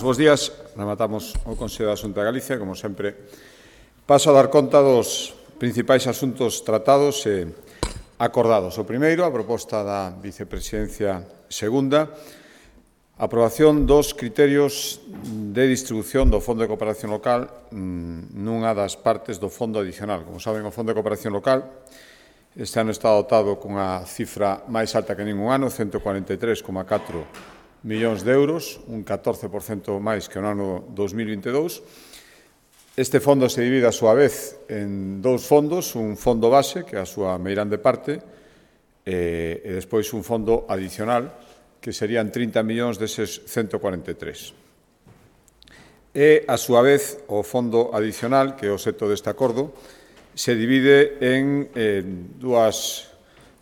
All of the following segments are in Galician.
Bos días, rematamos o Consello da Xunta de Galicia, como sempre. Paso a dar conta dos principais asuntos tratados e acordados. O primeiro, a proposta da Vicepresidencia Segunda, a aprobación dos criterios de distribución do Fondo de Cooperación Local nunha das partes do Fondo Adicional. Como saben, o Fondo de Cooperación Local este ano está dotado cunha cifra máis alta que ningún ano, 143,4 millóns de euros, un 14% máis que no ano 2022. Este fondo se divide a súa vez en dous fondos, un fondo base, que é a súa meirande parte, e despois un fondo adicional, que serían 30 millóns deses 143. E, a súa vez, o fondo adicional, que é o obxecto deste acordo, se divide en dúas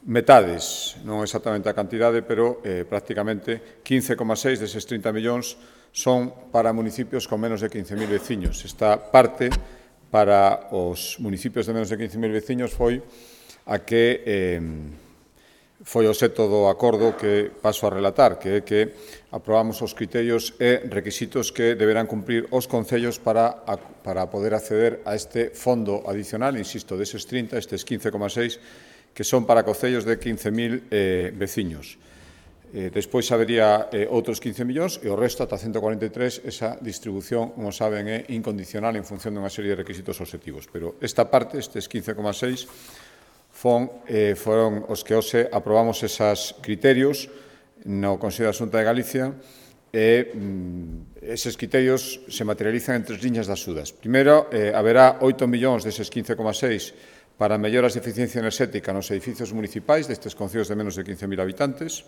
metades, non exactamente a cantidade, pero prácticamente 15,6 deses 30 millóns son para municipios con menos de 15.000 veciños. Esta parte para os municipios de menos de 15.000 veciños foi a que foi o obxecto do acordo que paso a relatar, que é que aprobamos os criterios e requisitos que deberán cumprir os concellos para poder acceder a este fondo adicional, insisto, deses 30, estes 15,6, que son para concellos de 15.000 veciños. Despois habería outros 15 millóns e o resto, ata 143, esa distribución, como saben, é incondicional en función dunha serie de requisitos obxectivos. Pero esta parte, estes 15,6, foron os que hoxe aprobamos esos criterios no Consello da Xunta de Galicia e eses criterios se materializan en tres liñas de axudas. Primeiro, haberá 8 millóns deses 15,6 para melloras de eficiencia enerxética nos edificios municipais destes concellos de menos de 15.000 habitantes,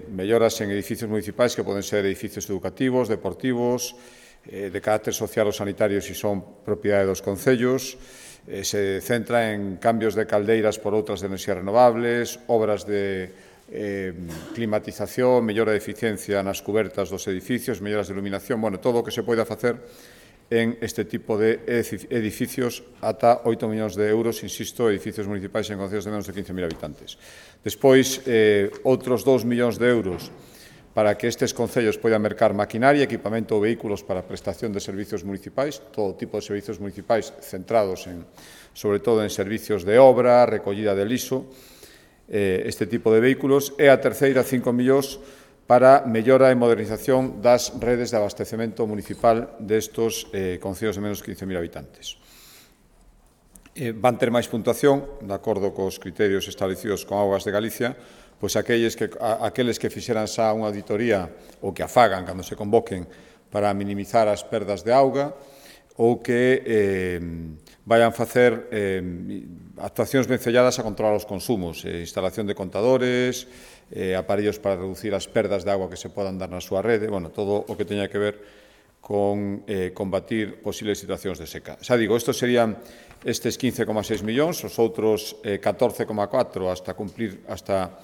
melloras en edificios municipais que poden ser edificios educativos, deportivos, de carácter social ou sanitario se son propiedade dos concellos, se centra en cambios de caldeiras por outras de enerxías renovables, obras de climatización, mellora de eficiencia nas cubertas dos edificios, melloras de iluminación, bueno, todo o que se poida facer en este tipo de edificios ata 8 millóns de euros, insisto, edificios municipais en concellos de menos de 15.000 habitantes. Despois, outros 2 millóns de euros para que estes concellos poidan mercar maquinaria, equipamento ou vehículos para prestación de servicios municipais, todo tipo de servicios municipais centrados sobre todo en servicios de obra, recollida de liso, este tipo de vehículos. E a terceira, 5 millóns para mellora e modernización das redes de abastecemento municipal destos concellos de menos de 15.000 habitantes. Van ter máis puntuación, de acordo cos criterios establecidos con Augas de Galicia, pois aqueles que fixeran xa unha auditoría ou que a fagan cando se convoquen para minimizar as perdas de auga ou que vayan facer actuacións vencelladas a controlar os consumos, instalación de contadores, aparellos para reducir as perdas de agua que se podan dar na súa rede, bueno, todo o que teña que ver con combatir posibles situacións de seca. Xa digo, estes serían estes 15,6 millóns, os outros 14,4 hasta cumplir, hasta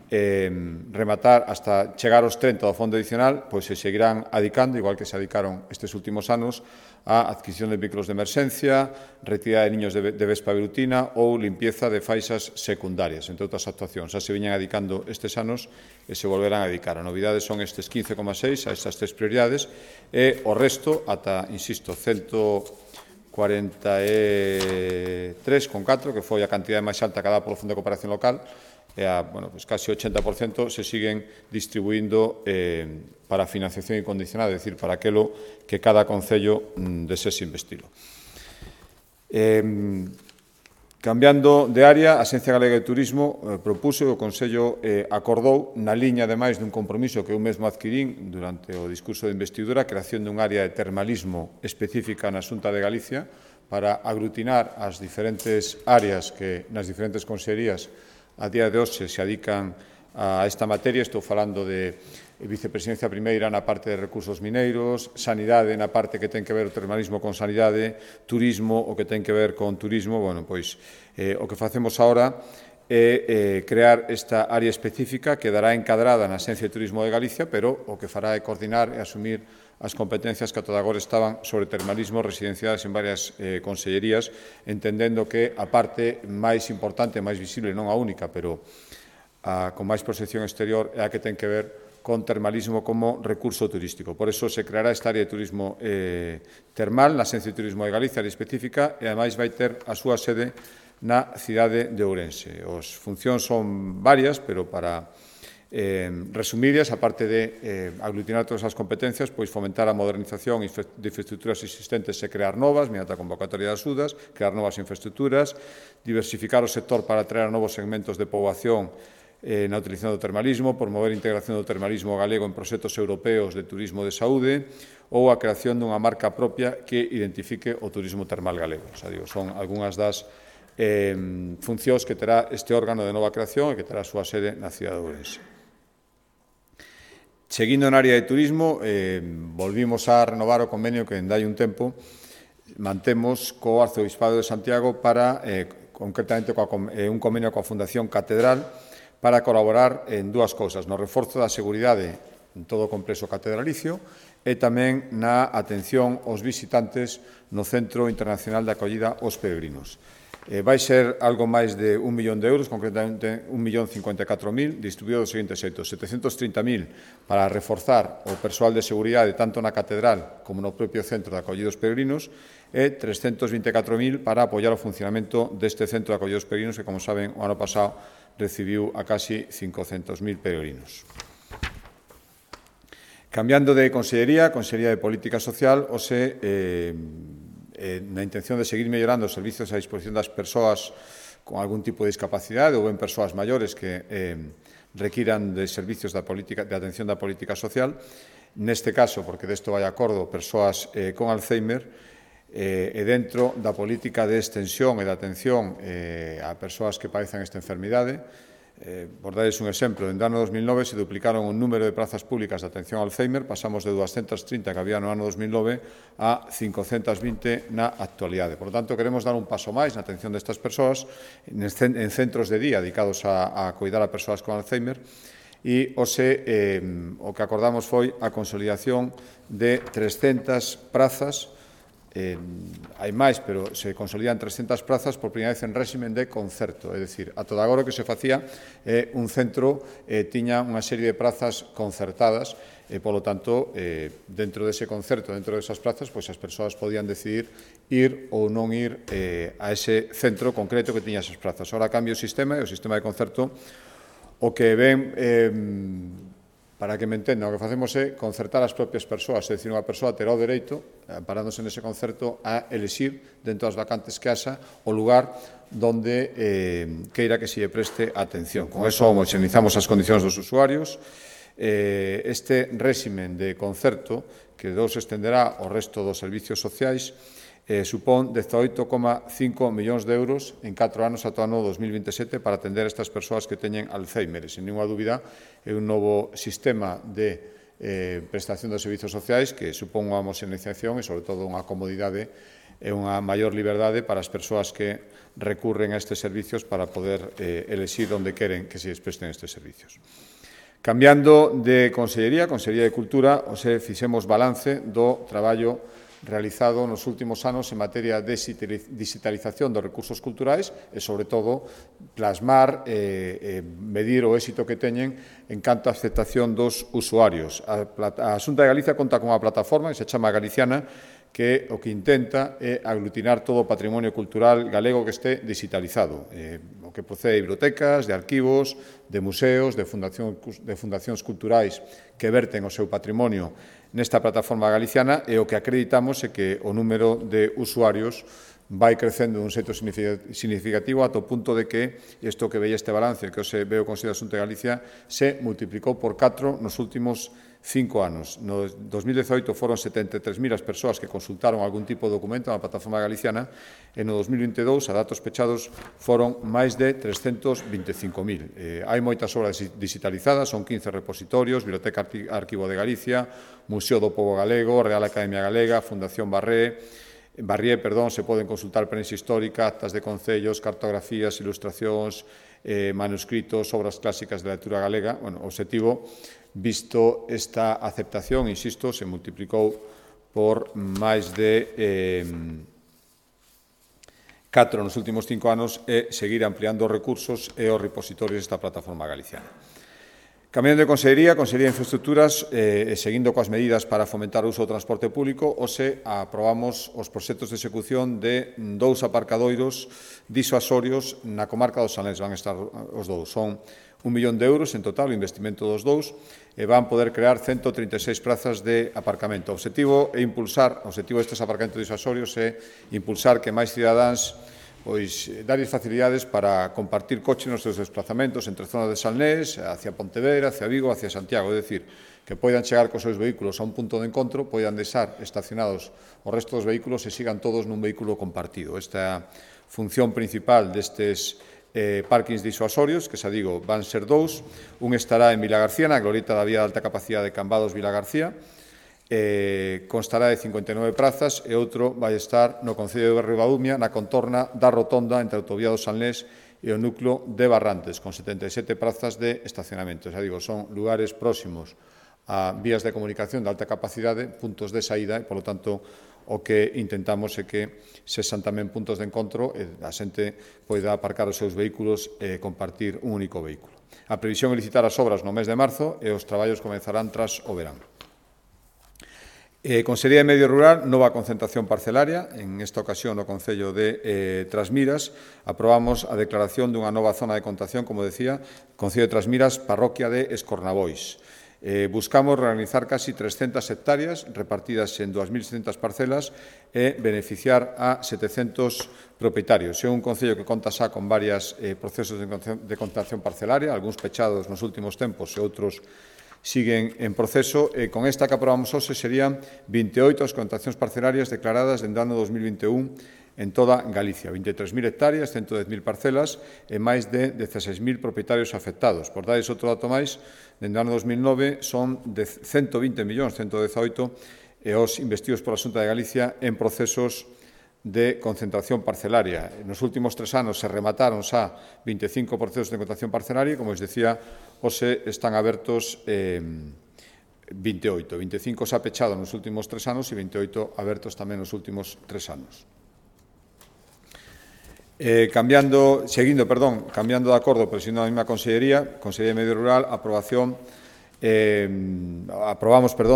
rematar, hasta chegar aos 30 do fondo adicional, pois se seguirán adicando, igual que se adicaron estes últimos anos, a adquisición de vehículos de emerxencia, retirada de niños de vespa velutina ou limpieza de faixas secundarias, entre outras actuacións. Xa se viñan adicando estes anos e se volverán a dedicar. A novidade son estes 15,6 a estas tres prioridades e o resto, ata, insisto, 143,4, que foi a cantidade máis alta que dá polo Fondo de Cooperación Local, e casi 80% se siguen distribuindo para financiación incondicional, é dicir, para aquilo que cada concello desese investilo. Cambiando de área, a Axencia Galega de Turismo propuso e o Consello acordou, na liña, ademais, dun compromiso que eu mesmo adquirín durante o discurso de investidura, a creación dun área de termalismo específica na Xunta de Galicia para aglutinar as diferentes áreas que nas diferentes consellerías a día de hoxe se adican a esta materia. Estou falando de Vicepresidencia Primeira na parte de recursos mineiros, sanidade na parte que ten que ver o termalismo con sanidade, turismo o que ten que ver con turismo. Bueno, pois o que facemos agora é crear esta área específica que dará encadrada na Axencia de Turismo de Galicia, pero o que fará é coordinar e asumir as competencias que ata agora estaban sobre termalismo residenciadas en varias consellerías, entendendo que a parte máis importante, máis visible, non a única, pero con máis proxección exterior, é a que ten que ver con termalismo como recurso turístico. Por eso se creará esta área de turismo termal na Axencia de Turismo de Galicia, área específica, e ademais vai ter a súa sede na cidade de Ourense. As funcións son varias, pero para resumirlas, aparte de aglutinar todas as competencias, pois fomentar a modernización de infraestructuras existentes e crear novas, mediante a convocatoria das axudas, crear novas infraestructuras, diversificar o sector para atraer a novos segmentos de poboación na utilización do termalismo, promover a integración do termalismo galego en proxectos europeos de turismo de saúde ou a creación dunha marca propia que identifique o turismo termal galego. O sea, son algunhas das funcións que terá este órgano de nova creación e que terá a súa sede na cidade de Ourense. Seguindo na área de turismo, volvimos a renovar o convenio que hai un tempo mantemos co Arcebispado de Santiago para, concretamente, un convenio coa Fundación Catedral para colaborar en dúas cousas, no reforzo da seguridade en todo o complexo catedralicio e tamén na atención aos visitantes no Centro Internacional de Acollida aos Peregrinos. Vai ser algo máis de 1 millón de euros, concretamente 1.054.000, distribuído dos seguintes xeitos: 730.000 para reforzar o persoal de seguridade tanto na catedral como no propio centro de acollida aos peregrinos e 324.000 para apoiar o funcionamento deste centro de acollida aos peregrinos que, como saben, o ano pasado recibiu a casi 500.000 peregrinos. Cambiando de Consellería, Consellería de Política Social, na intención de seguir mellorando os servizos a disposición das persoas con algún tipo de discapacidade ou ben persoas maiores que requiran de servizos de atención da política social. Neste caso, porque desto vai acordo, persoas con Alzheimer, e dentro da política de extensión e de atención a persoas que padecen esta enfermidade. Por darles un exemplo, en ano 2009 se duplicaron o número de prazas públicas de atención ao Alzheimer, pasamos de 230 que había no ano 2009 a 520 na actualidade. Por tanto, queremos dar un paso máis na atención destas persoas en centros de día dedicados a cuidar a persoas con Alzheimer e o que acordamos foi a consolidación de 300 prazas. Hai máis, pero se consolidan 300 prazas por primeira vez en réximen de concerto, é dicir, a todo agora o que se facía un centro tiña unha serie de prazas concertadas e, polo tanto, dentro dese concerto, dentro desas prazas, pois as persoas podían decidir ir ou non ir a ese centro concreto que tiña esas prazas. Ora cambia o sistema e o sistema de concerto o que ven. Para que me entendan, o que facemos é concertar as propias persoas, é dicir, unha persoa terá o dereito, amparándose nese concerto, a elixir, dentro das vacantes que haxa, o lugar donde queira que se lle preste atención. Con eso homoxenizamos as condicións dos usuarios. Este réximen de concerto, que se estenderá ao resto dos servicios sociais, supón 18,5 millóns de euros en 4 anos ata o ano 2027 para atender a estas persoas que teñen Alzheimer. E, sen ninguna dúbida, é un novo sistema de prestación dos servicios sociais que supón unha homoxeneización e, sobre todo, unha comodidade e unha maior liberdade para as persoas que recurren a estes servicios para poder elexir onde queren que se presten estes servicios. Cambiando de Consellería, Consellería de Cultura, fixemos balance do traballo realizado nos últimos anos en materia de digitalización dos recursos culturais e, sobre todo, plasmar e medir o éxito que teñen en canto á aceptación dos usuarios. A Xunta de Galicia conta con unha plataforma que se chama Galiciana, que o que intenta é aglutinar todo o patrimonio cultural galego que este digitalizado, o que procede de bibliotecas, de arquivos, de museos, de fundacións culturais que verten o seu patrimonio nesta plataforma galiciana, e o que acreditamos é que o número de usuarios vai crecendo dun xeito significativo ata o punto de que isto que veía este balance, que se veo o Consello da Xunta de Galicia, se multiplicou por 4 nos últimos 5 anos. No 2018 foron 73.000 as persoas que consultaron algún tipo de documento na plataforma galiciana e no 2022, a datos pechados, foron máis de 325.000. Hai moitas obras digitalizadas, son 15 repositorios, Biblioteca Arquivo de Galicia, Museo do Pobo Galego, Real Academia Galega, Fundación Barrié, se poden consultar prensa histórica, actas de concellos, cartografías, ilustracións, manuscritos, obras clásicas de lectura galega. O obxectivo, visto esta aceptación, insisto, se multiplicou por máis de 4 nos últimos 5 anos e seguir ampliando os recursos e os repositorios desta plataforma galiciana. Cambiando de Consellería, Consellería de Infraestructuras, seguindo coas medidas para fomentar o uso do transporte público, hoxe aprobamos os proxectos de execución de 2 aparcadoiros disuasorios na comarca do Salnés. Van estar os dous. Son 1 millón de euros en total o investimento dos dous e van poder crear 136 prazas de aparcamento. O objetivo destes aparcamentos disuasorios é impulsar que máis cidadáns darlles facilidades para compartir coche nos seus desplazamentos entre zonas de Salnés, hacia Pontevedra, hacia Vigo, hacia Santiago. É dicir, que poidan chegar cos seus vehículos a un punto de encontro, poidan deixar estacionados o resto dos vehículos e sigan todos nun vehículo compartido. Esta é a función principal destes parkings disuasorios, que xa digo, van ser dous. Un estará en Vilagarcía, na glorieta da vía de alta capacidade de Cambados Vilagarcía, constará de 59 prazas e outro vai estar no Concello de Ribadumia, na contorna da rotonda entre a autovía do Salnés e o núcleo de Barrantes, con 77 prazas de estacionamento. Xa digo, son lugares próximos a vías de comunicación de alta capacidade, puntos de saída e, polo tanto, o que intentamos é que sexan tamén puntos de encontro e a xente poida aparcar os seus vehículos e compartir un único vehículo. A previsión é licitar as obras no mes de marzo e os traballos comenzarán tras o verán. Consellería de Medio Rural, nova concentración parcelaria. En esta ocasión, no Concello de Trasmiras, aprobamos a declaración dunha nova zona de contación, como decía, Concello de Trasmiras, parroquia de Escornabois. Buscamos realizar casi 300 hectáreas repartidas en 2.600 parcelas e beneficiar a 700 propietarios. É un concello que conta xa con varios procesos de contación parcelaria, algúns pechados nos últimos tempos e outros siguen en proceso. Con esta que aprobamos hoxe serían 28 as contacións parcelarias declaradas dende o ano 2021 en toda Galicia. 23.000 hectáreas, 110.000 parcelas e máis de 16.000 propietarios afectados. Por darles outro dato máis, dende o ano 2009 son de 120 millóns, 118, e os investidos pola Xunta de Galicia en procesos de concentración parcelaria. Nos últimos 3 anos se remataron xa 25 procesos de concentración parcelaria e, como os decía, hoxe están abertos 28. 25 xa pechados nos últimos 3 anos e 28 abertos tamén nos últimos 3 anos. Cambiando de acordo, presidindo a mesma Consellería, Consellería de Medio Rural, aprobamos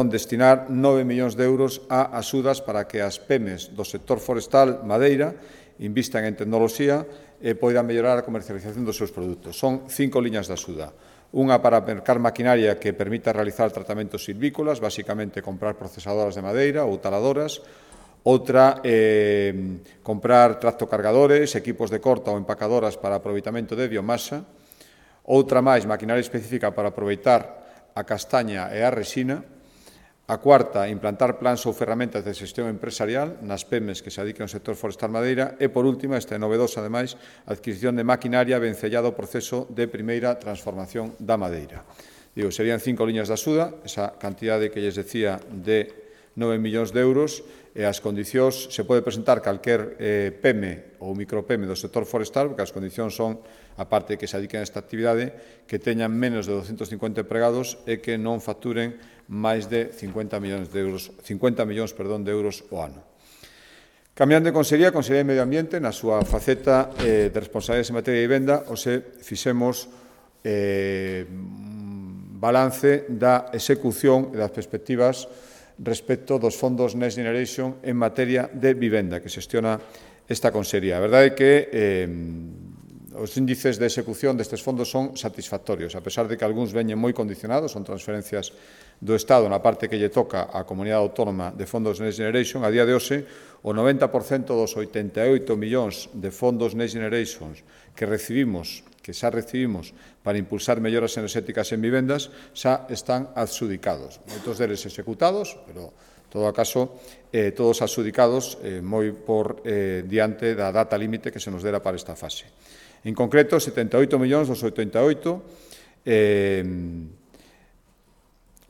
destinar 9 millóns de euros a axudas para que as PEMEs do sector forestal madeira invistan en tecnoloxía e poidan mellorar a comercialización dos seus produtos. Son 5 liñas de axuda. Unha para mercar maquinaria que permita realizar tratamentos silvícolas, basicamente comprar procesadoras de madeira ou taladoras. Outra, comprar tractocargadores, equipos de corta ou empacadoras para aproveitamento de biomasa. Outra máis, maquinaria específica para aproveitar a castaña e a resina. A cuarta, implantar plans ou ferramentas de xestión empresarial nas PEMEs que se dediquen ao sector forestal madeira. E, por último, esta é novedosa, ademais, a adquisición de maquinaria vencellada ao proceso de primeira transformación da madeira. Serían 5 liñas de axuda, esa cantidade que lles decía de 9 millóns de euros, e as condicións, se pode presentar calquer PEME ou micropeme do sector forestal, porque as condicións son, a parte que se dediquen a esta actividade, que teñan menos de 250 empregados e que non facturen máis de 50 millóns de euros o ano. Cambiando de Consellería, Consellería de Medio Ambiente, na súa faceta de responsabilidades en materia de vivenda, hoxe fixemos balance da execución e das perspectivas respecto dos fondos Next Generation en materia de vivenda que xestiona esta Consellería. A verdade é que os índices de execución destes fondos son satisfactorios, a pesar de que algúns veñen moi condicionados, son transferencias do Estado na parte que lle toca á Comunidade Autónoma de fondos Next Generation. A día de hoxe, o 90% dos 88 millóns de fondos Next Generation que xa recibimos para impulsar melloras enerxéticas en vivendas, xa están adxudicados. Moitos deles executados, pero, en todo caso, todos adxudicados moi por diante da data límite que se nos dera para esta fase. En concreto, 78 millóns dos 88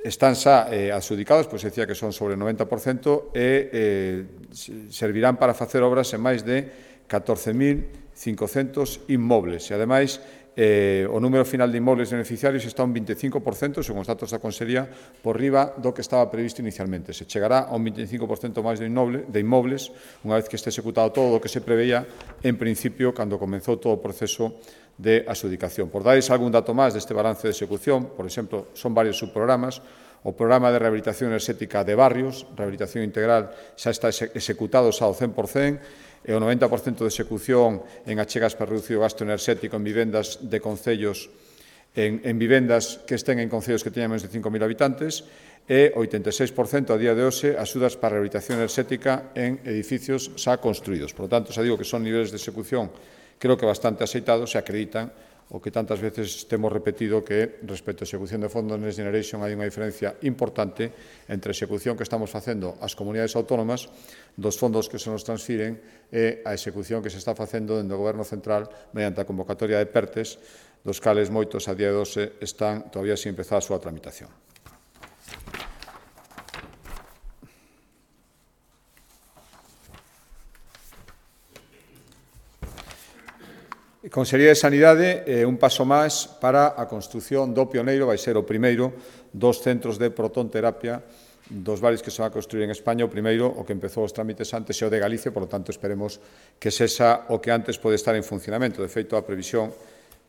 están xa adxudicados, pois decía que son sobre o 90%, e servirán para facer obras en máis de 14.500 inmobles. E, ademais, o número final de inmobles beneficiarios está un 25%, según os datos da Consellería, por riba do que estaba previsto inicialmente. Se chegará a un 25% máis de inmobles, unha vez que este executado todo o que se preveía en principio cando comenzou todo o proceso de adxudicación. Por darles algún dato máis deste balance de execución, por exemplo, son varios subprogramas. O programa de rehabilitación enerxética de barrios, rehabilitación integral, xa está executado xa ao 100%, e o 90% de execución en achegas para reducir o gasto enerxético en vivendas de concellos, en vivendas que estén en concellos que teñan menos de 5.000 habitantes, e 86% a día de hoxe axudas para a rehabilitación enerxética en edificios xa construídos. Por lo tanto, xa digo que son niveles de execución creo que bastante aceitados e acreditan o que tantas veces temos repetido que respecto á execución de fondos Next Generation hai unha diferencia importante entre a execución que estamos facendo as comunidades autónomas dos fondos que se nos transfiren e a execución que se está facendo dentro do Goberno Central mediante a convocatoria de PERTES, dos cales moitos a día de hoxe están todavía sin empezar a súa tramitación. Consellería de Sanidade, un paso máis para a construción do pioneiro, vai ser o primeiro dos centros de protonterapia dos varios que se van a construir en España. O primeiro, o que empezou os trámites antes, é o de Galicia, por lo tanto, esperemos que sexa o que antes pode estar en funcionamento. De feito, a previsión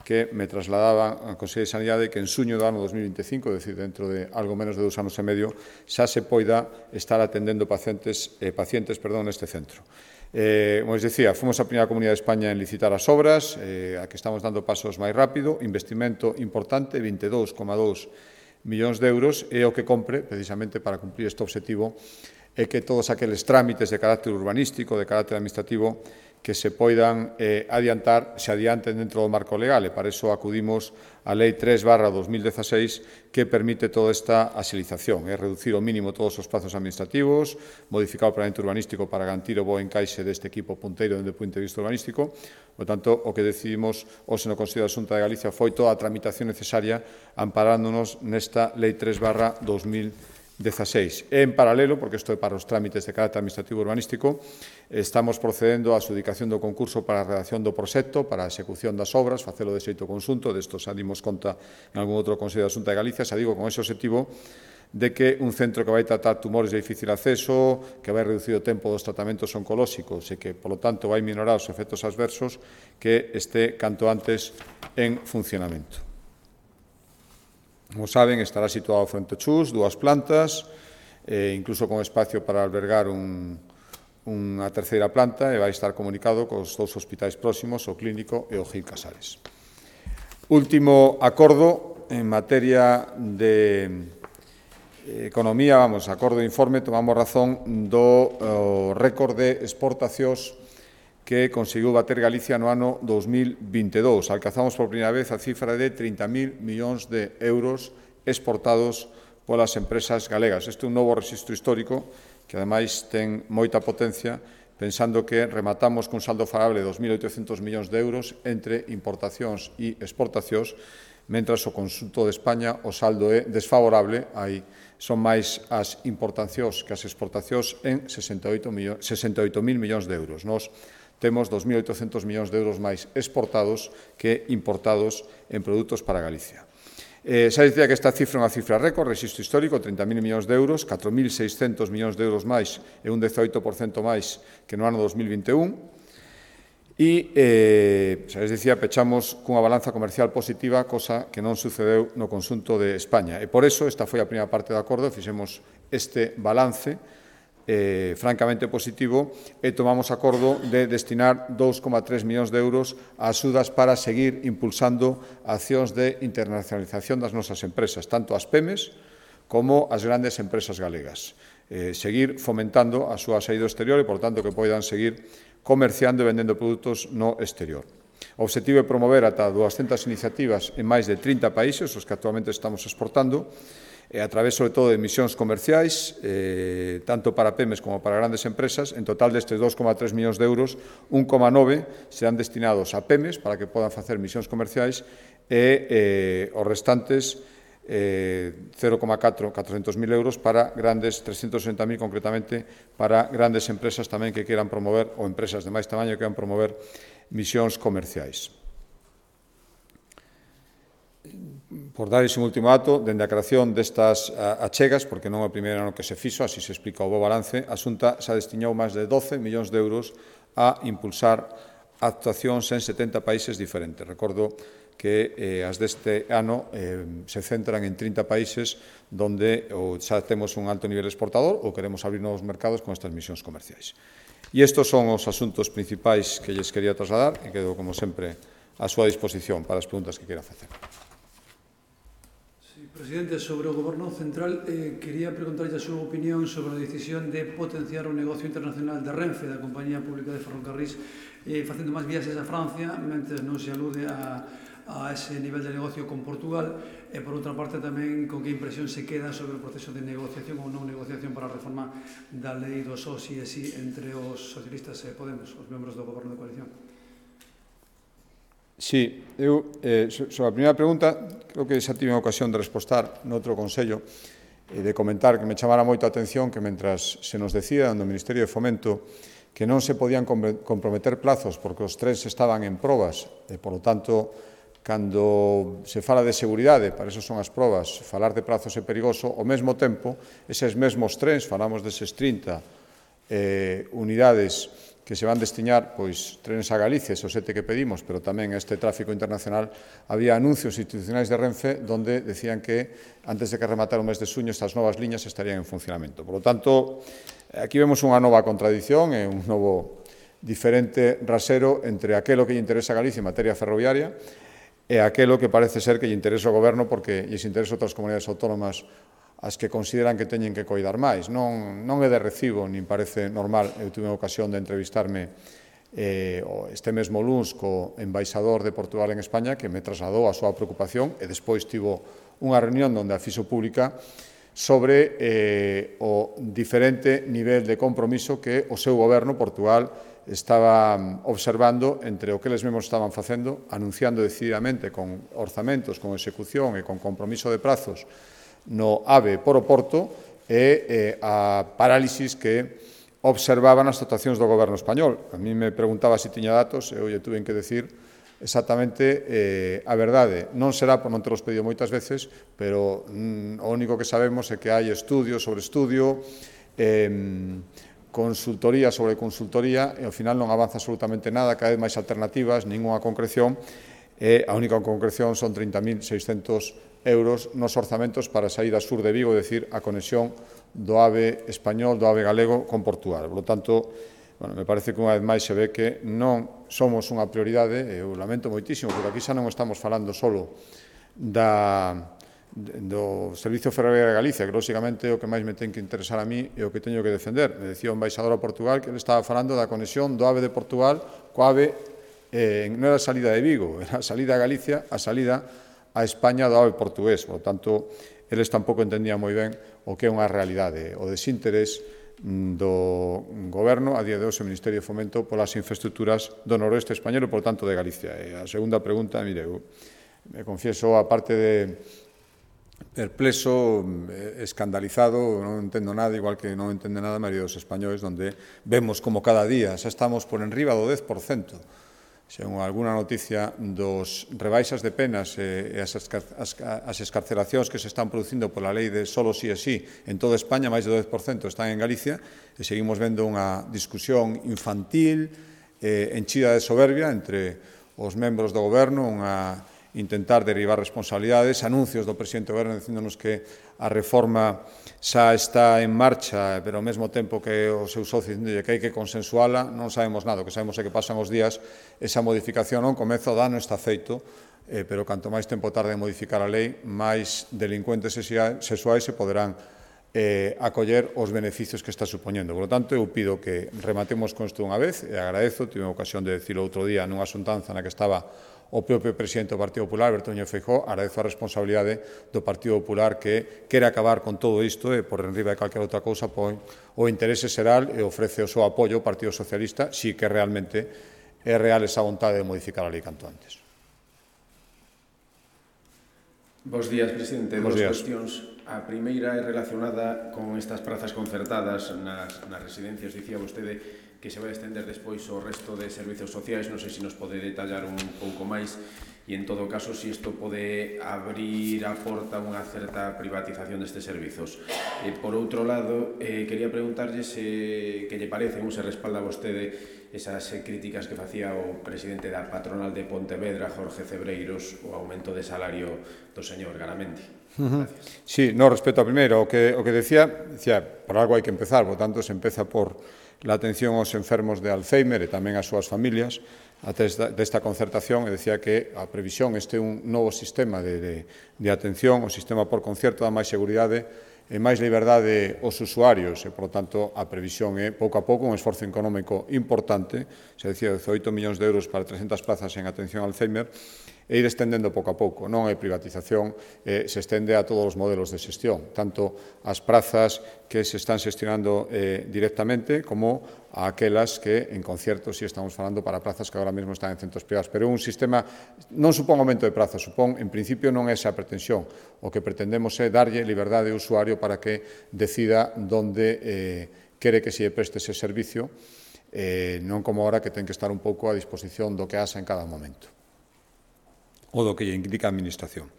que me trasladaba a Consellería de Sanidade que en suño do ano 2025, é dicir, dentro de algo menos de 2 anos e medio, xa se poida estar atendendo pacientes neste centro. Como os dicía, fomos a primeira comunidade de España en licitar as obras, a que estamos dando pasos máis rápido, investimento importante, 22,2 millóns de euros, e o que compre, precisamente para cumprir este objetivo, é que todos aqueles trámites de carácter urbanístico, de carácter administrativo, que se poidan adiantar, se adianten dentro do marco legal, e para iso acudimos á Lei 3/2016 que permite toda esta axilización, é reducir ao mínimo todos os prazos administrativos, modificar o planeamento urbanístico para garantir o bo encaixe deste equipo punteiro desde o punto de vista urbanístico. Por tanto, o que decidimos hoxe no Consello da Xunta de Galicia foi toda a tramitación necesaria amparándonos nesta Lei 3/2016. E, en paralelo, porque isto é para os trámites de carácter administrativo urbanístico, estamos procedendo á adxudicación do concurso para a redacción do proxecto, para a execución das obras, facelo de xeito conxunto, desto xa dimos conta en algún outro Consello da Xunta de Galicia, xa digo, con ese objetivo de que un centro que vai tratar tumores de difícil acceso, que vai reducir o tempo dos tratamentos oncolóxicos e que, polo tanto, vai minorar os efectos adversos, que este canto antes en funcionamento. Como saben, estará situado fronte ao Chus, 2 plantas, incluso con espacio para albergar unha terceira planta, e vai estar comunicado cos 2 hospitais próximos, o Clínico e o Gil Casares. Último acordo en materia de economía, acordo de informe, tomamos razón do récord de exportacións que conseguiu bater Galicia no ano 2022. Alcanzamos por primeira vez a cifra de 30.000 millóns de euros exportados polas empresas galegas. Este é un novo rexistro histórico que, ademais, ten moita potencia, pensando que rematamos cun saldo favorable de 2.800 millóns de euros entre importacións e exportacións, mentras o conxunto de España o saldo é desfavorable, son máis as importacións que as exportacións en 68.000 millóns de euros. Nos temos 2.800 millóns de euros máis exportados que importados en produtos para Galicia. Xa dicía que esta cifra é unha cifra récord, rexistro histórico, 30.000 millóns de euros, 4.600 millóns de euros máis e un 18% máis que no ano 2021. E, xa les dicía, pechamos cunha balanza comercial positiva, cosa que non sucedeu no conxunto de España. E por eso, esta foi a primeira parte do acordo, fixemos este balance francamente positivo e tomamos acordo de destinar 2,3 millóns de euros a axudas para seguir impulsando accións de internacionalización das nosas empresas, tanto as PEMES como as grandes empresas galegas. Seguir fomentando a súa saída ao exterior e, por tanto, que poidan seguir comerciando e vendendo produtos no exterior. O obxectivo é promover ata 200 iniciativas en máis de 30 países, os que actualmente estamos exportando, a través, sobre todo, de misións comerciais, tanto para PEMES como para grandes empresas. En total destes 2,3 millóns de euros, 1,9 serán destinados a PEMES para que podan facer misións comerciais e os restantes 400.000 euros para grandes, 360.000 concretamente, para grandes empresas tamén que queran promover, ou empresas de máis tamaño que queran promover misións comerciais. Por dar ese último dato, dende a creación destas achegas, porque non é o primeiro ano que se fixo, así se explica o bo balance, a Xunta xa destinou máis de 12 millóns de euros a impulsar actuacións en 70 países diferentes. Recordo que as deste ano se centran en 30 países donde xa temos un alto nivel exportador ou queremos abrir novos mercados con estas misións comerciais. E estes son os asuntos principais que lles quería trasladar e quedo, como sempre, a súa disposición para as preguntas que queira facer. Sí, presidente, sobre o Goberno Central, quería preguntarlle a súa opinión sobre a decisión de potenciar o negocio internacional de Renfe, da Compañía Pública de Ferrocarrís, facendo máis viaxes a Francia, mentre non se alude a ese nivel de negocio con Portugal, e, por outra parte, tamén con que impresión se queda sobre o proceso de negociación ou non negociación para a reforma da lei do só si e si entre os socialistas e Podemos, os membros do Goberno de coalición. Sí, eu, sobre a primeira pregunta, creo que xa tive a ocasión de respostar noutro Consello e de comentar que me chamara moito a atención que mentras se nos decía no Ministerio de Fomento que non se podían comprometer plazos porque os trens estaban en probas e, por lo tanto, cando se fala de seguridade, para eso son as probas, falar de prazos é perigoso, ao mesmo tempo, eses mesmos trens, falamos deses 30 unidades que se van destinar, pois, trenes a Galicia, esos 7 que pedimos, pero tamén a este tráfico internacional, había anuncios institucionais de Renfe donde decían que, antes de que rematara o mes de xuño, estas novas liñas estarían en funcionamento. Por lo tanto, aquí vemos unha nova contradición e un novo diferente rasero entre aquelo que lle interesa a Galicia en materia ferroviaria e aquelo que parece ser que lle interesa ao Goberno porque lles interesa outras comunidades autónomas as que consideran que teñen que coidar máis. Non é de recibo, nin parece normal. Eu tive a ocasión de entrevistarme este mesmo luns co embaixador de Portugal en España que me trasladou a súa preocupación e despois tivo unha reunión onde a fixo pública sobre o diferente nivel de compromiso que o seu goberno, Portugal, estaba observando entre o que eles mesmos estaban facendo, anunciando decididamente con orzamentos, con execución e con compromiso de prazos no AVE por o Porto e a parálisis que observaban as actuacións do goberno español. A mí me preguntaba se tiña datos e eu lle tuve que decir exactamente a verdade. Non será por non teros pedido moitas veces, pero o único que sabemos é que hai estudio sobre estudio, consultoría sobre consultoría e ao final non avanza absolutamente nada, cada vez máis alternativas, ninguna concreción e a única concreción son 30.600 euros nos orzamentos para a saída sur de Vigo, é dicir, a conexión do AVE español, do AVE galego con Portugal. Por lo tanto, me parece que unha vez máis se ve que non somos unha prioridade, e eu lamento moitísimo, porque aquí xa non estamos falando solo do Servicio Ferroviario de Galicia, que lógicamente é o que máis me ten que interesar a mí e o que teño que defender. Me decía o embaixador a Portugal que ele estaba falando da conexión do AVE de Portugal co AVE, non era a salida de Vigo, era a salida a Galicia, a salida a España do AVE portugués. Por tanto, eles tampouco entendían moi ben o que é unha realidade, o desinterés do Goberno, a día de hoxe, o Ministerio de Fomento, polas infraestructuras do noroeste español e, por tanto, de Galicia. E a segunda pregunta, mire, eu me confieso, a parte de perplexo, escandalizado, non entendo nada, igual que non entende nada a maioría dos españoles, donde vemos como cada día xa estamos por enriba do 10%. Según alguna noticia dos rebaixas de penas e as escarcelacións que se están producindo pola lei de solo si e si en toda España, máis do 10% están en Galicia, e seguimos vendo unha discusión infantil, enchida de soberbia entre os membros do Goberno, unha intentar derivar responsabilidades, anuncios do presidente do Goberno dicíndonos que a reforma xa está en marcha, pero ao mesmo tempo que o seu socio dicíndolle que hai que consensuala, non sabemos nada. O que sabemos é que pasan os días, esa modificación non comeza, o dano está feito, pero canto máis tempo tarde en modificar a lei, máis delincuentes sexuais se poderán acoller os beneficios que está supoñendo. Por lo tanto, eu pido que rematemos con isto unha vez, e agradezo, tive a ocasión de decirlo outro día nunha xuntanza na que estaba o propio presidente do Partido Popular, Alberto Núñez Feijóo, agradezo a responsabilidade do Partido Popular que quere acabar con todo isto e, por enriba de calquera outra cousa, põe o interese xeral e ofrece o seu apoio ao Partido Socialista, si que realmente é real esa vontade de modificar a lei canto antes. Bos días, presidente. Dos cuestións. A primeira é relacionada con estas prazas concertadas nas residencias. Dicía vostede que se vai estender despois ao resto de servizos sociais. Non sei se nos pode detallar un pouco máis. e en todo caso si isto pode abrir a porta a unha certa privatización destes servizos. Por outro lado, quería preguntarlle que lle parece ou se respalda vostede esas críticas que facía o presidente da patronal de Pontevedra, Jorge Cebreiros, o aumento de salario do señor Garamendi. Gracias. Sí, no, respecto a primeiro, o que decía, por algo hai que empezar, por tanto, se empeza por la atención aos enfermos de Alzheimer e tamén ás súas familias, desta concertación, e decía que a previsión este é un novo sistema de atención, o sistema por concierto dá máis seguridade e máis liberdade aos usuarios e, por tanto, a previsión é, pouco a pouco, un esforzo económico importante, se decía 18 millóns de euros para 300 plazas en atención a Alzheimer, e ir estendendo pouco a pouco. Non é privatización, se estende a todos os modelos de xestión, tanto as prazas que se están xestionando directamente como a aquelas que en concierto si estamos falando para prazas que agora mesmo están en centros privados. Pero un sistema non supón aumento de prazas, supón, en principio, non é esa a pretensión. O que pretendemos é darlle liberdade ao usuario para que decida onde quere que se preste ese servicio, non como ahora que ten que estar un pouco a disposición do que haxa en cada momento, ou do que lle indica a Administración.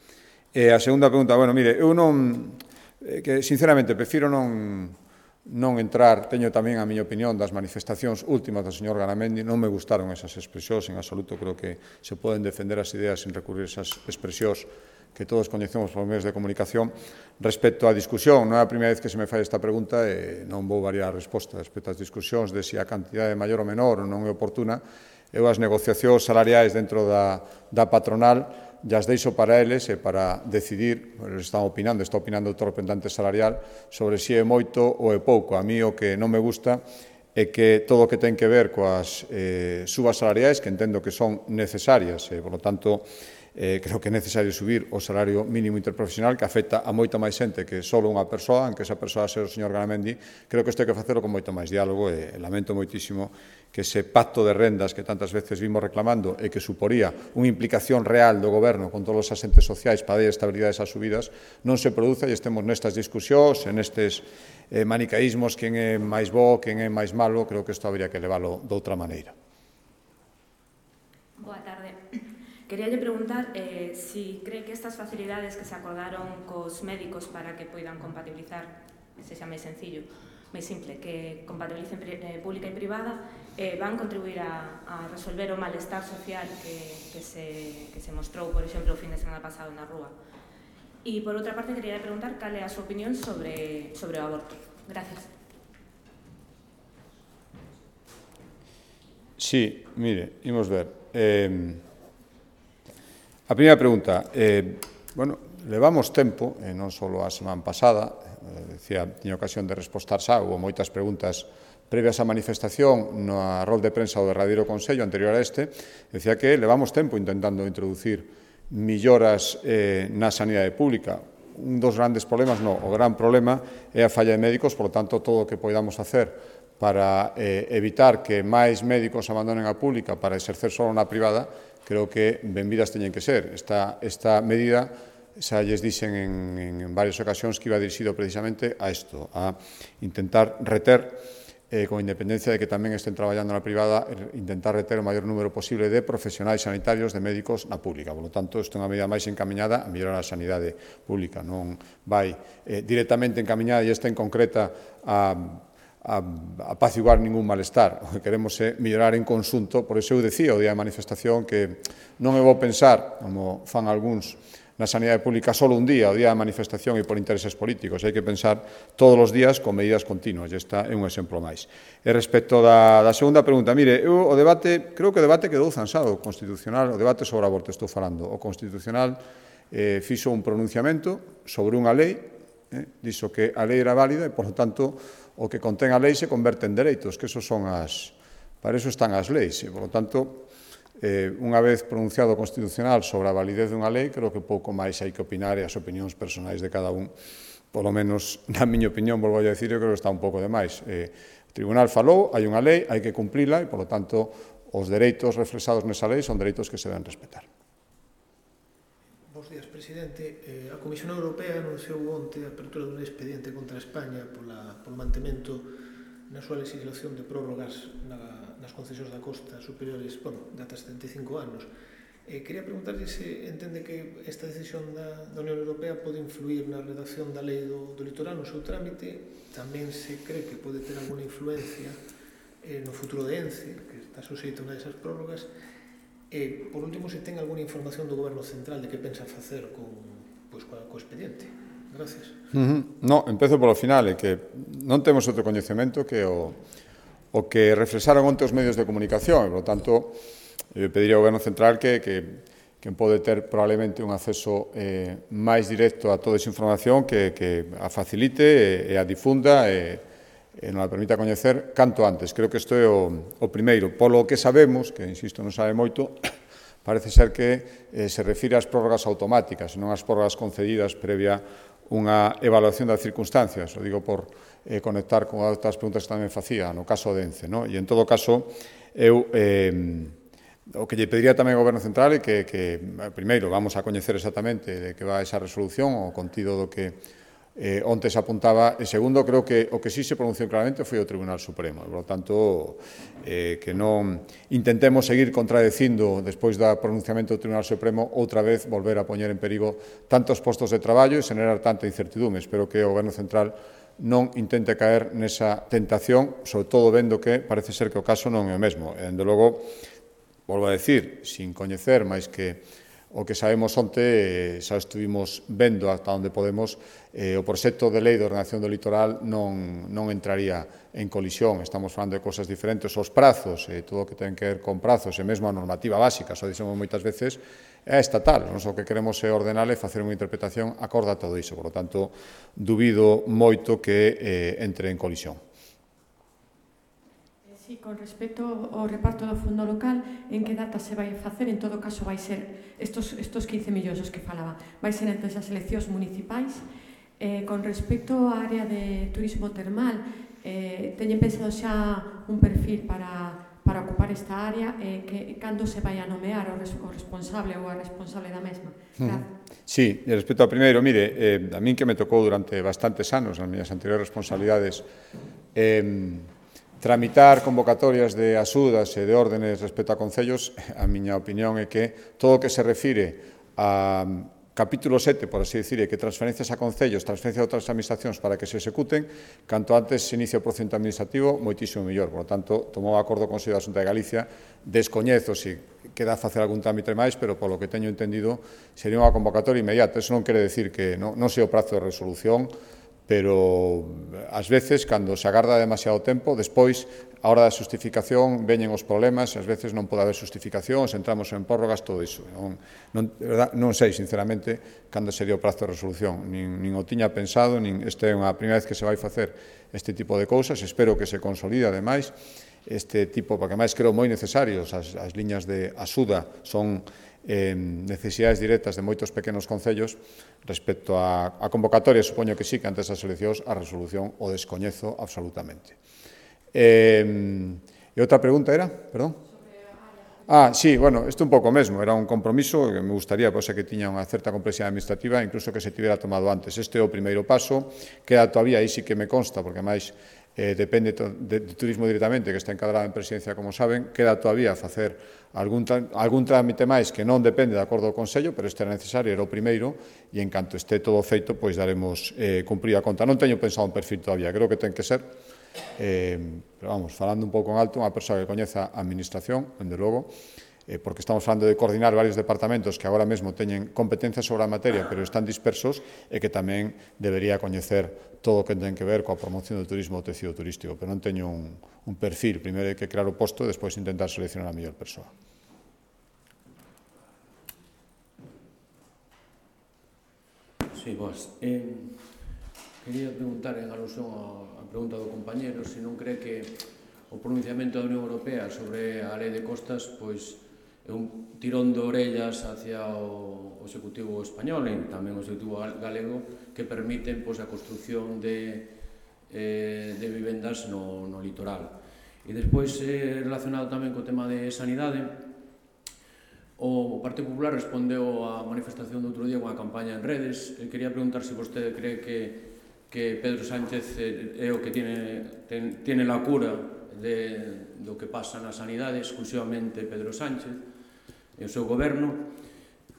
E a segunda pregunta, bueno, mire, eu non, que sinceramente prefiro non entrar, teño tamén a miña opinión das manifestacións últimas do señor Garamendi, non me gustaron esas expresións en absoluto, creo que se poden defender as ideas sin recurrir a esas expresións que todos coñecemos por medios de comunicación. Respecto á discusión, non é a primeira vez que se me fai esta pregunta e non vou variar a resposta respecto ás discusións de se a cantidade maior ou menor non é oportuna. Eu as negociacións salariais dentro da patronal as deixo para eles e para decidir, eles están opinando, está opinando o representante salarial sobre se é moito ou é pouco. A mí o que non me gusta é que todo o que ten que ver coas subas salariais, que entendo que son necesarias, e, por lo tanto, creo que é necesario subir o salario mínimo interprofesional, que afecta a moita máis xente que só unha persoa, aunque esa persoa ser o señor Garamendi. Creo que isto hai que facelo con moito máis diálogo e lamento moitísimo que ese pacto de rendas que tantas veces vimos reclamando e que suporía unha implicación real do goberno con todos os asentes sociais para dar estabilidade a esas subidas non se produza e estemos nestas discusións, en estes manicaísmos, quen é máis bo, quen é máis malo. Creo que isto habría que leválo de outra maneira. Boa tarde. Queríalle preguntar si cree que estas facilidades que se acordaron cos médicos para que poidan compatibilizar, sexa máis sencillo, máis simple, que compatibilicen pública e privada, van contribuir a resolver o malestar social que se mostrou, por exemplo, o fin de semana pasado na rúa. E, por outra parte, quería preguntar cal é a súa opinión sobre o aborto. Gracias. Sí, mire, imos ver. A primeira pregunta, bueno, levamos tempo, non só a semana pasada, tiña ocasión de respostar xa, houve moitas preguntas previas á manifestación no rol de prensa do derradeiro Consello anterior a este, decía que levamos tempo intentando introducir melloras na sanidade pública. Un dos grandes problemas, o gran problema é a falla de médicos, por lo tanto, todo o que poidamos facer para evitar que máis médicos abandonen a pública para exercer só na privada, creo que benvidas teñen que ser. Esta medida, xa lles dixen en varias ocasións que iba dirixido precisamente a isto, a intentar reter, con independencia de que tamén estén traballando na privada, intentar reter o maior número posible de profesionais sanitarios, de médicos na pública. Por lo tanto, isto é unha medida máis encamiñada a mellorar a sanidade pública, non vai directamente encamiñada e esta en concreta a apaciguar ningún malestar. O que queremos é mellorar en conxunto. Por iso eu decía o día da manifestación que non é bo pensar, como fan algúns, na sanidade pública só un día, o día da manifestación e por intereses políticos. Hai que pensar todos os días con medidas continuas, e esta é un exemplo máis. E respecto da segunda pregunta, mire, eu o debate, creo que o debate quedou zanxado, o Constitucional, o debate sobre o aborto estou falando. O Constitucional fixo un pronunciamento sobre unha lei, dixo que a lei era válida e, por lo tanto, o que contén a lei se converte en dereitos, que para eso están as leis. E, por lo tanto, unha vez pronunciado o Constitucional sobre a validez dunha lei, creo que pouco máis hai que opinar e as opinións personais de cada un, polo menos na miña opinión, volvo a decir, eu creo que está un pouco de máis. O Tribunal falou, hai unha lei, hai que cumplila e, por lo tanto, os dereitos reflexados nesa lei son dereitos que se deben respetar. Bos días, presidente. A Comisión Europea anunciou onte a apertura dun expediente contra España polo mantemento na súa legislación de prórrogas nas concesións da costa superiores, de ata 75 anos. Quería preguntarlle se entende que esta decisión da Unión Europea pode influir na redacción da lei do litoral no seu trámite, tamén se cree que pode ter alguna influencia no futuro de ENCE, que está suxeito a unha desas prórrogas, e, por último, se ten alguna información do Goberno Central de que pensa facer co expediente. Gracias. No, empezo polo final, é que non temos outro coñecemento que o que reflexaron onte os medios de comunicación, e, por lo tanto, pediría ao Goberno Central que pode ter probablemente un acceso máis directo a toda esa información que a facilite e a difunda e non a permita coñecer canto antes. Creo que isto é o primeiro. Polo que sabemos, que, insisto, non sabe moito, parece ser que se refire ás prórrogas automáticas, non ás prórrogas concedidas previa unha evaluación das circunstancias. O digo por conectar con outras preguntas que tamén facía, no caso de ENCE. E, en todo caso, eu o que lle pediría tamén ao Goberno Central é que primeiro, vamos a coñecer exactamente de que va esa resolución, o contido do que onte se apuntaba, e segundo, creo que o que sí se pronunciou claramente foi o Tribunal Supremo. Por lo tanto, que non intentemos seguir contradecindo despois do pronunciamento do Tribunal Supremo outra vez volver a poñer en perigo tantos postos de traballo e xenerar tanta incertidume. Espero que o Goberno Central non intente caer nesa tentación, sobre todo vendo que parece ser que o caso non é o mesmo. E, dende logo, volvo a decir, sin coñecer máis que o que sabemos onte, xa estuvimos vendo ata onde podemos, o proxecto de lei de ordenación do litoral non entraría en colisión. Estamos falando de cosas diferentes. Os prazos, todo o que ten que ver con prazos, e mesmo a normativa básica, xa dixemos moitas veces, é estatal. Nós o que queremos é ordenar e facer unha interpretación acorde a todo iso. Por lo tanto, dubido moito que entre en colisión. Sí, con respecto ao reparto do fondo local, en que data se vai facer? En todo caso, vai ser estos 15 millóns os que falaba, vai ser entre as eleccións municipais. Con respecto á área de turismo termal, teñen pensado xa un perfil para ocupar esta área, cando se vai a nomear o responsable ou a responsable da mesma? Sí, e respecto ao primeiro, mire, a min que me tocou durante bastantes anos, nas miñas anteriores responsabilidades, tramitar convocatorias de axudas e de órdenes respecto a concellos, a miña opinión é que todo o que se refire a capítulo 7, por así decir, que transferencias a concellos, transferencias a outras administracións para que se executen, canto antes se inicia o procedimento administrativo, moitísimo mellor. Por lo tanto, tomou acordo o Consello da Xunta de Galicia, descoñezo se queda a facer algún trámite máis, pero polo que teño entendido, sería unha convocatoria inmediata. Eso non quere decir que non sei o prazo de resolución, pero ás veces, cando se agarda demasiado tempo, despois, a hora da xustificación, veñen os problemas, ás veces non pode haber xustificación, se entramos en prórrogas, todo iso. Non sei, sinceramente, cando sería o prazo de resolución, nin o tiña pensado, nin esta é unha primeira vez que se vai facer este tipo de cousas, espero que se consolide, ademais, este tipo, porque máis creo moi necesarios, as liñas de axuda son necesidades directas de moitos pequenos concellos. Respecto a convocatoria, supoño que sí, que antes das eleccións a resolución o descoñezo absolutamente. E outra pregunta era? Perdón? Sí, bueno, isto un pouco mesmo, era un compromiso que me gustaría, pois que tiña unha certa complexidade administrativa, incluso que se tivera tomado antes. Este é o primeiro paso, queda todavía, aí sí que me consta, porque máis depende de turismo directamente, que está encadrado en presidencia, como saben, queda todavía a facer algún trámite máis que non depende de acordo do Consello, pero este era necesario, era o primeiro, e en canto este todo feito, pois daremos cumprida a conta. Non teño pensado un perfil todavía, creo que ten que ser, pero vamos, falando un pouco en alto, unha persoa que coñeza a administración, dende logo, porque estamos falando de coordinar varios departamentos que agora mesmo teñen competencias sobre a materia, pero están dispersos, e que tamén debería coñecer todo o que ten que ver coa promoción do turismo do tecido turístico, pero non teño un perfil. Primeiro hai que crear o posto e despois intentar seleccionar a mellor persoa. Sí, boas. Quería preguntar en alusión á pregunta do compañero se non cree que o pronunciamento da Unión Europea sobre a lei de costas pois é un tirón de orellas hacia o Executivo español e tamén o Executivo galego que permiten a construción de vivendas no litoral. E despois, relacionado tamén co tema de sanidade, o Partido Popular respondeu á manifestación do outro día con a campaña en redes. Quería preguntar se vostede cree que Pedro Sánchez é o que tiene la cura do que pasa na sanidade, exclusivamente Pedro Sánchez, o seu goberno,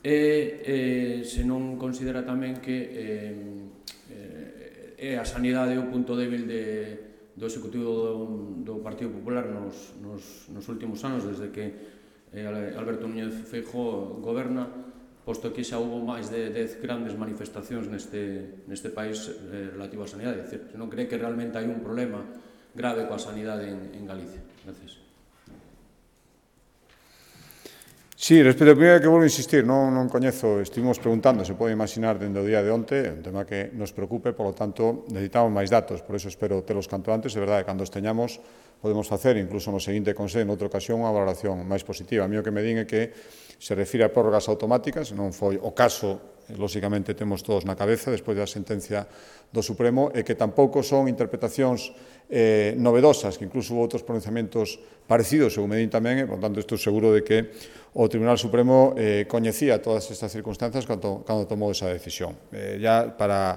e se non considera tamén que é a sanidade o punto débil do Executivo do Partido Popular nos últimos anos, desde que Alberto Núñez Feijóo goberna, posto que xa houve máis de 10 grandes manifestacións neste país relativo á sanidade. É dicir, non cree que realmente hai un problema grave coa sanidade en Galicia. Gracias. Sí, respecto ao primeiro que volvo a insistir, non coñezo, estivemos preguntando, se pode imaginar dende o día de onte, é un tema que nos preocupe, polo tanto, necesitamos máis datos, por eso espero telos canto antes, é verdade, cando os teñamos, podemos facer, incluso no seguinte Consello, noutra ocasión, unha valoración máis positiva. A mí o que me din é que se refire a prórrogas automáticas, non foi o caso, lóxicamente temos todos na cabeza, despois da sentencia do Supremo, e que tampouco son interpretacións novedosas, que incluso houve outros pronunciamentos parecidos, según me din tamén, e, por tanto, estou seguro de que o Tribunal Supremo coñecía todas estas circunstancias cando tomou esa decisión. Ya para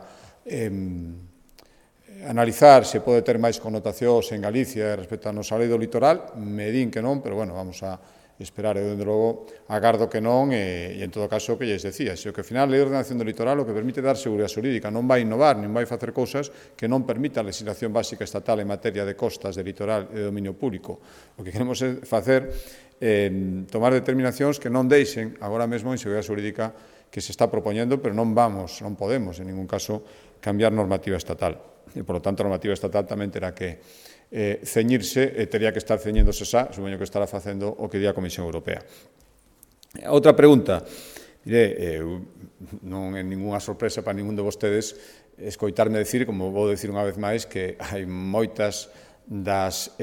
analizar se pode ter máis connotacións en Galicia respecto a nosa lei do litoral, me din que non, pero, bueno, vamos a esperar, e, dende logo, agardo que non, e, en todo caso, o que lles decía, se o que, ao final, a lei de ordenación do litoral o que permite dar seguridade xurídica, non vai innovar, non vai facer cousas que non permita a legislación básica estatal en materia de costas, de litoral e de dominio público. O que queremos é facer tomar determinacións que non deixen agora mesmo a inseguridade xurídica que se está propoñendo, pero non podemos, en ningún caso, cambiar normativa estatal. E, por lo tanto, a normativa estatal tamén terá que ceñirse e tería que estar ceñéndose xa, supoño que estará facendo o que di a Comisión Europea. Outra pregunta. Non é ninguna sorpresa para ningún de vostedes escoitarme decir, como vou decir unha vez máis, que hai moitas das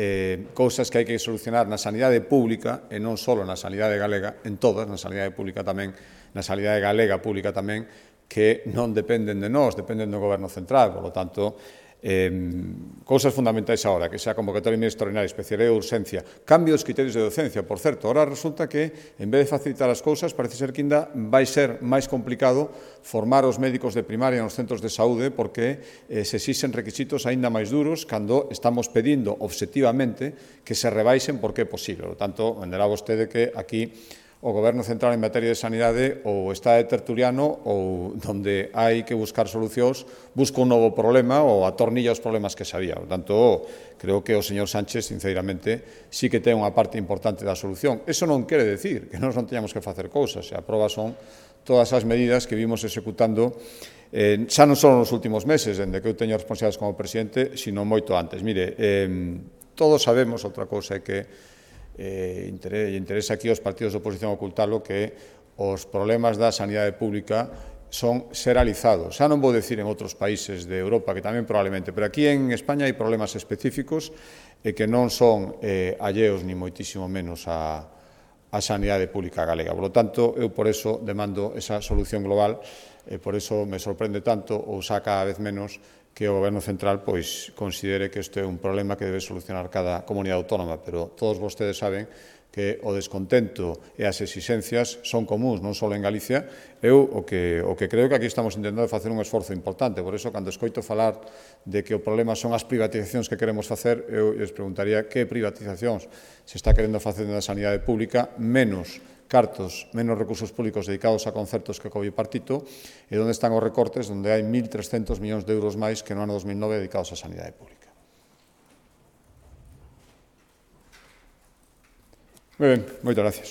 cousas que hai que solucionar na sanidade pública, e non só na sanidade galega, en todas, na sanidade pública tamén, na sanidade galega pública tamén, que non dependen de nós, dependen do Goberno central. Por lo tanto, cousas fundamentais agora, que xa convocatoria extraordinaria, especialidade de urxencia, cambio dos criterios de docencia. Por certo, ahora resulta que, en vez de facilitar as cousas, parece ser que ainda vai ser máis complicado formar os médicos de primaria nos centros de saúde, porque se exixen requisitos aínda máis duros cando estamos pedindo obxectivamente que se rebaixen porque é posible. Por tanto, entenderá vostede que aquí o Goberno central en materia de sanidade ou está de tertuliano ou, donde hai que buscar solucións, busca un novo problema ou atornilla os problemas que sabía. Por tanto, creo que o señor Sánchez, sinceramente, sí que ten unha parte importante da solución. Eso non quere decir que nós non teñamos que facer cousas. A proba son todas as medidas que vimos executando xa non só nos últimos meses, dende que eu teño responsabilidades como presidente, sino moito antes. Mire, todos sabemos, outra cousa é que interesa aquí aos partidos de oposición ocultalo, que os problemas da sanidade pública son xeralizados. Xa non vou decir en outros países de Europa, que tamén probablemente, pero aquí en España hai problemas específicos e que non son alleos ni moitísimo menos a sanidade pública galega. Por lo tanto, eu por eso demando esa solución global, e por eso me sorprende tanto, ou xa cada vez menos, que o Goberno central considere que isto é un problema que debe solucionar cada comunidade autónoma, pero todos vostedes saben que o descontento e as exixencias son comuns, non só en Galicia. Eu o que creo que aquí estamos intentando facer un esforzo importante, por eso, cando escoito falar de que o problema son as privatizacións que queremos facer, eu les preguntaría que privatizacións se está querendo facer na sanidade pública, menos cartos, menos recursos públicos dedicados a concertos que co bipartito, e onde están os recortes, onde hai 1.300 millóns de euros máis que no ano 2009 dedicados á sanidade pública. Moi ben, moitas gracias.